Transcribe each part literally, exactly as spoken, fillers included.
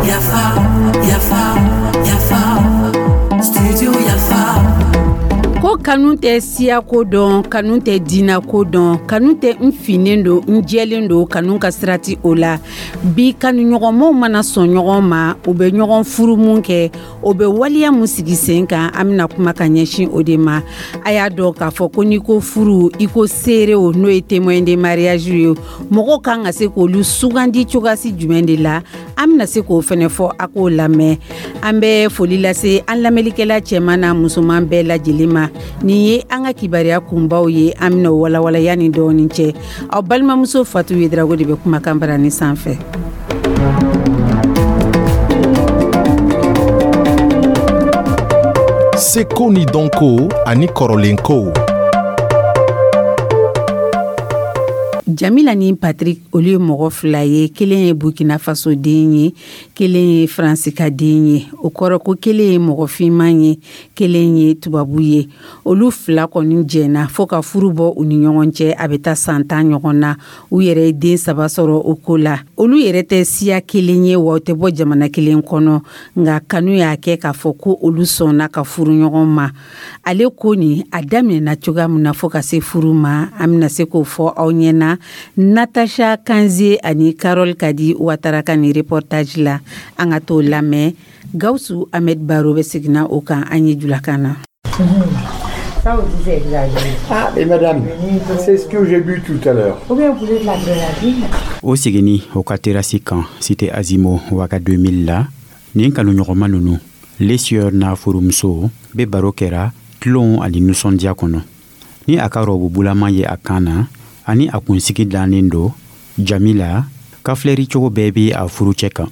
Yafa, yafa, yafa, studio Yafa. Ko kanu tɛ siyako dɔn, kanu tɛ diinako dɔn, kanu tɛ n finnen don, n jɛlen don, kanu ka sirati o la. Bi kanuɲɔgɔnmaw mana sɔn ɲɔgɔn ma, u bɛ ɲɔgɔn furu mun kɛ, o bɛ waleya mun sigi sen kan, an bɛna kuma ka ɲɛsin o de ma. A y'a dɔn k'a fɔ ko n'i ko furu, i ko seerew, n'o ye témoin de mariage ye, mɔgɔw kan ka se k'olu sugandi cogoyasi jumɛn de la, an bɛna se k'o fɛnɛ fɔ, a k'o lamɛn. An bɛ foli lase an lamɛnlikɛla cɛman n'a musoman bɛɛ lajɛlen ma. Nin ye an ka kibaruya kunbaw ye, an bɛna o walawalaya ni dɔɔnin cɛ. Aw balimamuso Fatu Yedrago de bɛ kumakan barani sanfɛ. Seko ni dɔnko ani kɔrɔlenkow. Jamila ni Patrick, olu ye mɔgɔ fila ye, kelen ye Burkina Faso den ye, kelen ye Faransi ka den ye. O kɔrɔ ko kelen ye mɔgɔ finman ye, kelen ye tubabu ye. Olu fila kɔni jɛna fo ka furu bɔ u ni ɲɔgɔn cɛ, a bɛ taa san tan ɲɔgɔn na. U yɛrɛ ye den saba sɔrɔ o ko la. Olu yɛrɛ tɛ siya kelen ye, wa u tɛ bɔ jamana kelen kɔnɔ, nka kanu y'a kɛ k'a fɔ ko olu sɔnna ka furu ɲɔgɔn ma. Ale ko nin a daminɛna cogoya min na fo ka se furu ma, an bɛna se k'o fɔ aw ɲɛna Natacha Kanze ani Carole Kadi Ouattara ka nin reportage la. An ka t'o lamɛn. Gawusu Ahmed Baro bɛ seginna o kan an ye julakan na. Ça aussi, c'est exagéré. Ah, mais madame, c'est ce que j'ai bu tout à l'heure. Ou bien vous voulez de la grenadine? O seginni o ka terasi kan, Cité Azimo Waga deux mille la, nin kanuɲɔgɔnma nunu, Lesieur n'a furumuso, be baro kɛra tulon ani nusɔndiya kɔnɔ. Ni a ka rɔbu bulama ye a kan na ani a kunsigi dannen don, Jamila ka filɛri cogo bɛɛ be a furucɛ kan.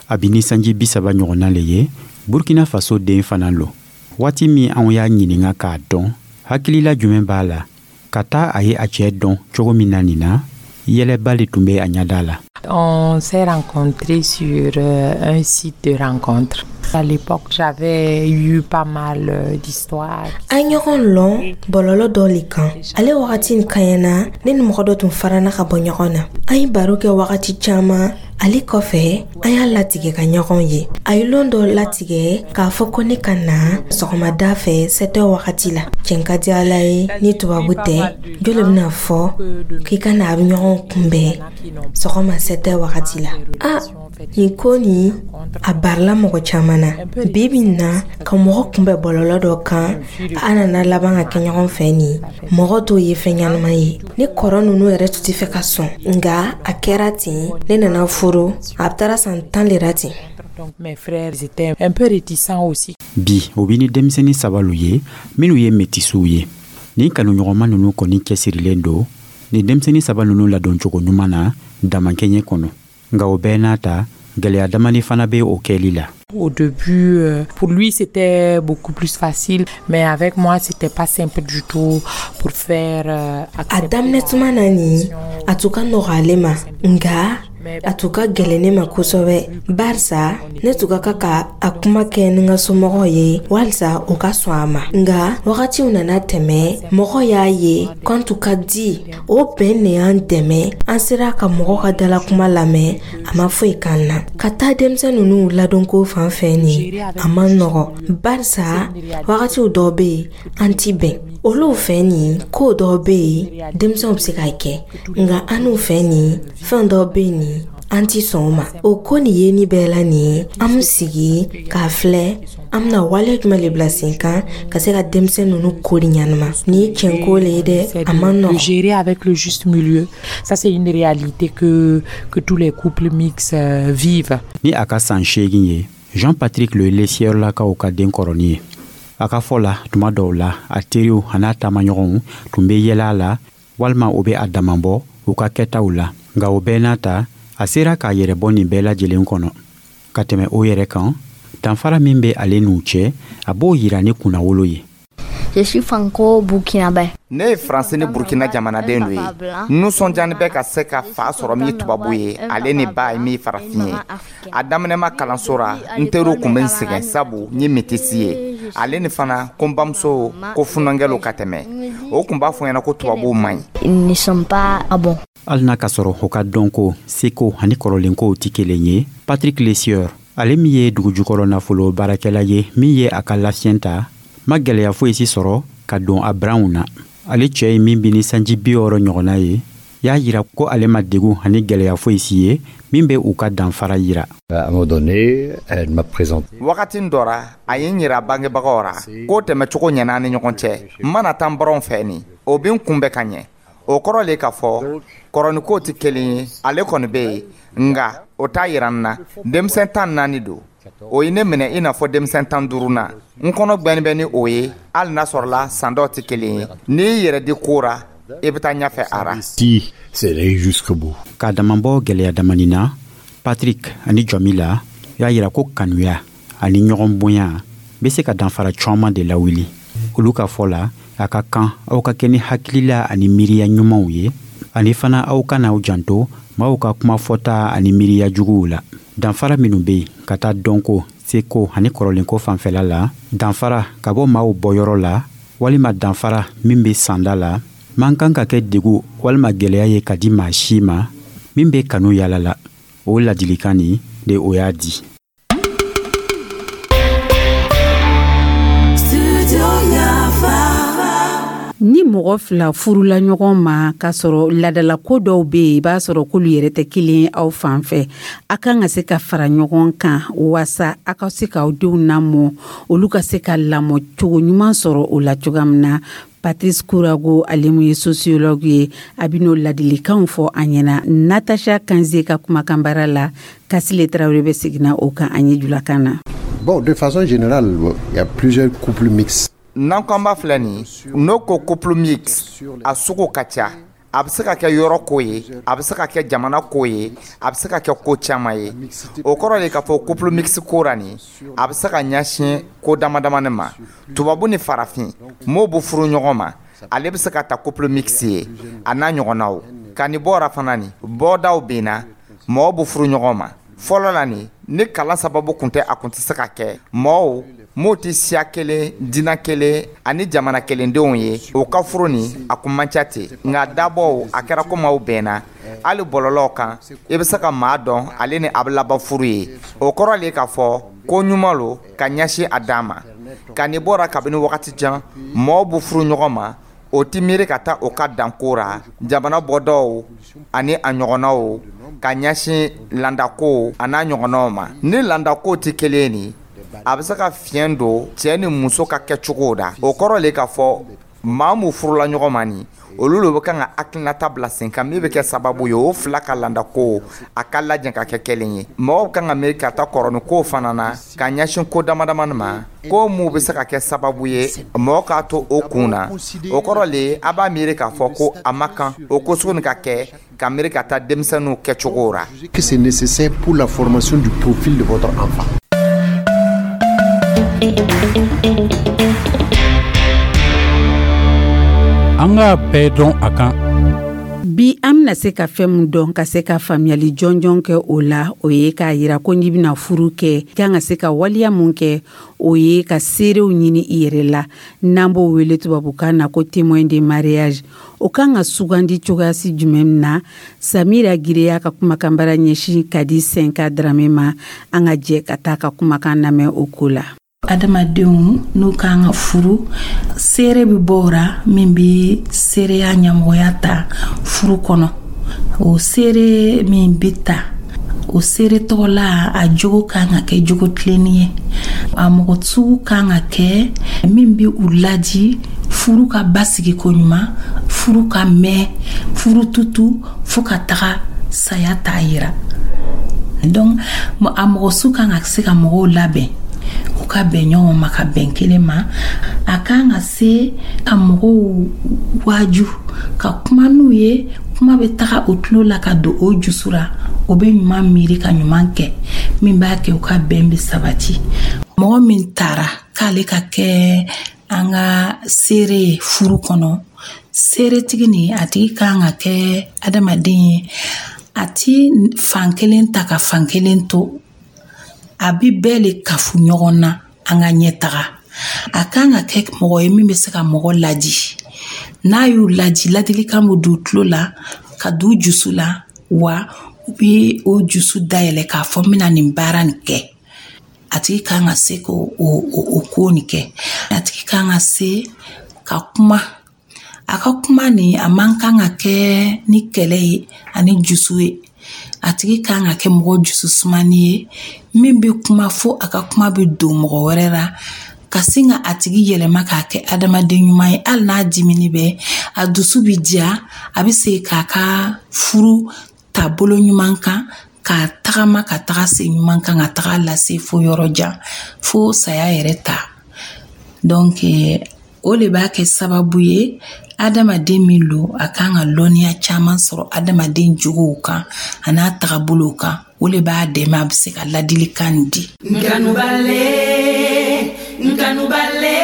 A bi ni sanji bi saba ɲɔgɔnna le ye, Burkina Faso den fana lo. Waati min anw y'a ɲininga k'a dɔn hakilila jumɛn b'a la ka taa a ye a cɛɛ dɔn cogo min na nin na, yɛlɛba le tun bɛ a ɲada la. On s'est rencontrés sur euh, un site de rencontre. À l'époque, j'avais eu pas mal euh, d'histoires. An ɲɔgɔn lɔn bɔlɔlɔ dɔ le kan. Ale wagati nin kaɲana, ne ni mɔgɔ dɔ tun farana ka bɔ ɲɔgɔn na. An ye baro kɛ wagati caaman. Ale kɔfɛ, an y'a latigɛ ka ɲɔgɔn ye. A ye lon dɔ latigɛ k'a fɔ ko ne ka na sɔgɔmada fɛ sept heures wagati la. Cɛn ka di Ala ye, ni tubabu tɛ, jo le bɛna fɔ k'i ka na a bɛ ɲɔgɔn kunbɛn sɔgɔma sept heures wagati la? A nin ko nin a barila mɔgɔ caman na. Bi bi na, ka mɔgɔ kunbɛn bɔlɔlɔ dɔ kan, a nana laban ka kɛ ɲɔgɔn fɛ nin, mɔgɔ t'o ye fɛn ɲɛnama ye. Ne kɔrɔ ninnu yɛrɛ tun tɛ fɛ ka sɔn, nka a kɛra ten, ne nana furu, a taara san tan le ra ten. Donc mes frères étaient un peu réticents aussi. Bi o bi ni denmisɛnnin saba lu ye minnu ye metisiw ye. Nin kanuɲɔgɔnma nunu kɔni cɛsirilen don nin denmisɛnnin saba nunu ladoncogo ɲuman na damankɛɲɛ kɔnɔ, nka o bɛɛ n'a ta, gwɛlɛya damani fana bɛ o kɛli la. Au début, euh, pour lui, c'était beaucoup plus facile, mais avec moi, c'était pas simple du tout pour faire euh, A daminɛ tuma na nin, a tun ka nɔgɔ ale ma, nka a tun ka gɛlɛn ne ma kosɛbɛ, barisa ne tun ka kan ka a kuma kɛ ni n ka somɔgɔw ye walisa u ka sɔn a ma. Nka wagatiw nana tɛmɛ, mɔgɔ y'a ye k'an tun ka di. O bɛn de y'an dɛmɛ, an sera ka mɔgɔ ka dalakuma lamɛn, a ma foyi k'an na. Ka taa denmisɛn ninnu ladonko fan fɛ nin, a ma nɔgɔ, barisa wagatiw dɔw bɛ yen, an ti bɛn olu fɛ nin. Ko dɔw bɛ yen, denmisɛnw bɛ se k'a kɛ, nka an n'u fɛ nin, fɛn dɔw bɛ yen nin, an ti sɔn o ma. O ko nin ye ni bɛɛ la nin, an bɛ sigi k'a filɛ, an bɛna wale jumɛn le bila sen kan ka se ka denmisɛn ninnu kori ɲanama. Nin ye tiɲɛko le ye dɛ, a ma nɔgɔn. Gérer avec le juste milieu, ça, c'est une réalité que, que tous les couples mixtes euh, vivent. Ni a ka san seegin ye, Jean Patrick le ye Lesiyɛrlakaw ka den kɔrɔnin ye. A ka fɔ la, tuma dɔw la, a teriw an'a taamaɲɔgɔnw tun bɛ yɛlɛ a la walima o bɛ a damabɔ u ka kɛtaw la, nka o bɛɛ n'a ta, a sera k'a yɛrɛ bɔ nin bɛɛ lajɛlen kɔnɔ ka tɛmɛ o yɛrɛ kan. Danfara min bɛ ale n'u cɛ, a b'o yira ni kunnawolo ye. Je suis franco-burkinabé. Ne ye Faransi ni Burukina jamanaden dɔ ye. Nisɔndiyani bɛ ka se ka fa sɔrɔ min ye tubabu ye, ale ni ba ye min farafin ye. A daminɛma kalanso ra, n teriw kun bɛ n sɛgɛn, sabu n ye metisi ye, ale ni fana ko n bamuso ko funankɛlo ka tɛmɛ. O kun b'a fɔ ɲɛna ko tubabuw man ɲi. Ils ne sont pas ah bon. Hali n'a ka sɔrɔ u ka dɔnko, seko ani kɔrɔlenkow tɛ kelen ye, Patrick Lesieur, ale min ye dugujukɔrɔ nafolo baarakɛla ye, min ye a ka lafiyɛn ta, ma gwɛlɛya foyi si sɔrɔ ka don a branw na. Ale cɛɛ ye min bi ni sanji bi wɔɔrɔ ɲɔgɔnna ye, y'a yira ko ale ma degun ani gwɛlɛya foyi si ye min bɛ u ka danfara yira. À un moment donné, elle m'a présenté. Wagati dɔ ra, a ye n yira bangebagaw ra k'o tɛmɛcogo ɲɛna ni ɲɔgɔn cɛ. N mana taa n baranw fɛ nin, o bɛ n kunbɛn ka ɲɛ. O kɔrɔ le k'a fɔ kɔrɔnikow tɛ kelen ye. Ale kɔni bɛ yen, nka o t'a yira n na denmisɛn tan naani don. O ye ne minɛ i n'a fɔ denmisɛn tan duuru na. N kɔnɔ gbɛni bɛ ni o ye, hali n'a sɔrɔla san dɔw tɛ kelen ye. N'i y'i yɛrɛ di ko ra, i bɛ taa ɲɛfɛ a ra. Si, c'est aller jusqu'au bout. K'a damabɔ gwɛlɛya damani na, Patrick ani Jɔmila y'a yira ko kanuya ani ɲɔgɔn bonya bɛ se ka danfara caaman de lawuli. Olu ka fɔ la, a ka kan aw ka kɛ ni hakilila ani miiriya ɲumanw ye, ani fana aw kan'aw janto maaw ka kuma fɔta ani miiriya juguw la. Danfara minnu be yen ka taa dɔnko, seko ani kɔrɔlenko fanfɛla la, danfara ka bɔ maaw bɔyɔrɔ la walima danfara min be sanda la, man kan ka kɛ degu walima gwɛlɛya ye ka di maa si ma min be kanu yala la. O ladilikan nin de, o y'a di. Ni mɔgɔ fila furula ɲɔgɔn ma k'a sɔrɔ ladalako dɔw bɛ yen, i b'a sɔrɔ k'olu yɛrɛ tɛ kelen aw fan fɛ, a kan ka se ka fara ɲɔgɔn kan waasa a ka se k'aw denw lamɔ, olu ka se ka lamɔ cogo ɲuman sɔrɔ o la cogoya min na. Patrice Kourago, ale mun ye sociologue ye, a bɛ n'o ladilikanw fɔ an ɲɛna Natacha Kanze ka kumakan baara la. Kasile Tarawele bɛ seginna o kan an ye julakan na. Bon, de façon générale, il y a plusieurs couples mixtes. N'an ko an b'a filɛ nin, n'o ko couple mixte, a sugu ka ca. A bɛ se ka kɛ yɔrɔ ko ye, a bɛ se ka kɛ jamana ko ye, a bɛ se ka kɛ ko caman ye. O kɔrɔ de k'a fɔ couple mixte ko ra nin, a bɛ se ka ɲɛsin ko dama damani ma. Tubabu ni farafin m'o bɛ furu ɲɔgɔn ma, ale bɛ se ka ta couple mixte ye, a n'a ɲɔgɔnnaw. Ka nin bɔra fana nin, bɔdaw bɛ na, mɔgɔw bɛ furu ɲɔgɔn ma. Fɔlɔ la nin, ni kalan sababu kun tɛ, a kun tɛ se ka kɛ. Mɔgɔw m'o tɛ siya kelen, diinɛ kelen ani jamana kelendenw ye, o ka furu nin, a kun man ca ten. Nka dabɔw a kɛra komi aw bɛnna. Hali bɔlɔlɔw kan, i bɛ se ka maa dɔn, ale ni a bɛ laban furu ye. O kɔrɔ le k'a fɔ ko ɲuman lo ka ɲɛsin a dan ma. Ka nin bɔra kabini wagati jan, mɔgɔw bɛ furu ɲɔgɔn ma, o ti miiri ka taa o ka danko ra, jamana bɔdaw ani a ɲɔgɔnnaw, ka ɲɛsin landako a n'a ɲɔgɔnnaw ma. Ni landako tɛ kelen nin, a bɛ se ka fiɲɛ don cɛ ni muso ka kɛcogo da. O kɔrɔ le k'a fɔ maa mun furula ɲɔgɔn ma nin, olu le bɛ kan ka hakilinata bila sen kan min bɛ kɛ sababu ye o fila ka landako a ka lajɛ ka kɛ kelen ye. Mɔgɔw kan ka miiri ka taa kɔrɔni ko fana na ka ɲɛsin ko dama damani ma, ko mun bɛ se ka kɛ sababu ye mɔgɔ k'a to o kun na. O kɔrɔ le a b'a miiri k'a fɔ ko a ma kan o ko sugu nin ka kɛ ka miiri ka taa denmisɛnninw kɛcogo ra. Que c'est nécessaire pour la formation du profil de votre enfant. An k'a bɛɛ dɔn a kan. Bi, an bɛna se ka fɛn min dɔn ka se ka faamuyali jɔnjɔn kɛ o la, o ye k'a yira ko n'i bɛna furu kɛ, i kan ka se ka waleya mun kɛ, o ye ka seerew ɲini i yɛrɛ la, n'an b'o wele tubabukan na ko témoin de mariage. O kan ka sugandi cogoyasi jumɛn na? Samira Gire y'a ka kumakanbara ɲɛsin ka di Senka Darame ma. An ka jɛ ka taa ka kumakan lamɛn o ko la. Adamadenw n'u kan ka furu, seere bɛ bɔ o ra min bɛ seereya ɲɛmɔgɔya ta furu kɔnɔ. O seere min bɛ ta, o seere tɔgɔ la, a jogo kan ka kɛ jogo tilenni ye. A mɔgɔ sugu kan ka kɛ min bɛ u ladi furu ka basigi koɲuman, furu ka mɛn, furu tutu fo ka taga saya t'a yira. Donc a mɔgɔ sugu kan ka se ka mɔgɔw labɛn u ka bɛn ɲɔgɔn ma, ka bɛn kelen ma. A kan ka se ka mɔgɔw waaju, ka kuma n'u ye, kuma bɛ taga o tulo la ka don o jusu ra, o bɛ ɲuman miiri ka ɲuman kɛ, min b'a kɛ u ka bɛn bɛ sabati. Mɔgɔ min taara k'ale ka kɛ an ka seere ye furu kɔnɔ, seeretigi nin, a tigi kan ka kɛ adamaden ye, a ti fan kelen ta ka fan kelen to, a bi bɛɛ le kafu ɲɔgɔn na an ka ɲɛ taga. A kan ka kɛ mɔgɔ ye min bɛ se ka mɔgɔ ladi. N'a y'u ladi, ladilikan bɛ don tulo la Ka don jusu la wa, u bɛ o jusu dayɛlɛ k'a fɔ n bɛna nin baara nin kɛ. A tigi kan ka se k'o o, o, o ko nin kɛ. A tigi kan ka se ka kuma. A ka kuma nin, a man kan ka kɛ ni kɛlɛ ye ani jusu ye. A tigi kan ka kɛ mɔgɔ jusu sumani ye min bɛ kuma fo a ka kuma bɛ don mɔgɔ wɛrɛ la, ka sin ka a tigi yɛlɛma k'a kɛ adamaden ɲuman ye. Hali n'a dimini bɛ, a dusu bɛ diya, a bɛ se k'a ka furu taabolo ɲuman kan, ka tagama ka taga se ɲuman kan, ka taga lase fo yɔrɔ jan, fo saya yɛrɛ ta. Donc o le b'a kɛ sababu ye, adamaden min lo, a kan ka lɔnniya caman sɔrɔ adamaden jogow kan a n'a tagabolow kan. O le b'a dɛmɛ a bɛ se ka ladilikan di. Nkanubale, nkanubale,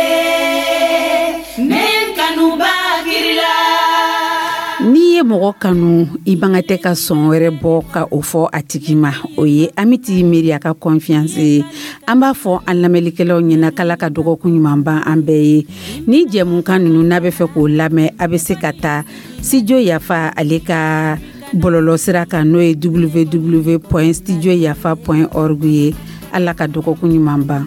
ne kanuba kirila. N'i ye mɔgɔ kanu, i man ka tɛ ka sɔn wɛrɛ bɔ ka o fɔ a tigi ma. O ye Amiti Miiri a ka confiance ye. An b'a fɔ an lamɛnlikɛlaw ɲɛna k'Ala ka dɔgɔkun ɲuman ban an bɛɛ ye. Ni jɛmukan ninnu, n'a bɛ fɛ k'o lamɛn, a bɛ se ka taa Studio Yafa ale ka bɔlɔlɔ sira kan, n'o ye W W W point studio yafa point org ye. Ala ka dɔgɔkun ɲuman ban.